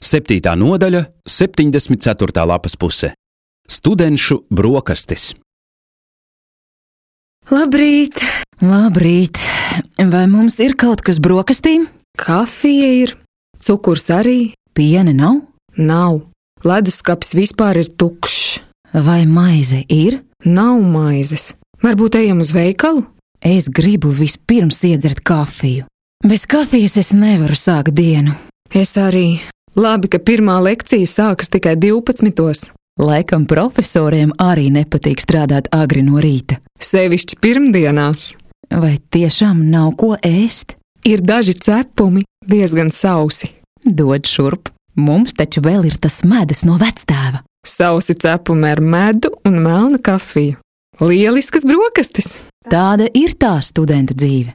7. nodaļa, 74. lapas puse. Studenšu brokastis. Labrīt! Labrīt! Vai mums ir kaut kas brokastīm? Kafija ir, cukurs arī. Piena nav? Nav. Leduskapis vispār ir tukšs. Vai maize ir? Nav maizes. Varbūt ejam uz veikalu? Es gribu vispirms iedzert kafiju. Bez kafijas es nevaru sākt dienu. Es arī. Labi, ka pirmā lekcija sākas tikai 12. Laikam profesoriem arī nepatīk strādāt agri no rīta. Sevišķi pirmdienās. Vai tiešām nav ko ēst? Ir daži cepumi, diezgan sausi. Dod šurp. Mums taču vēl ir tas medus no vectēva. Sausi cepumi ar medu un melna kafiju. Lieliskas brokastis! Tāda ir tā studentu dzīve.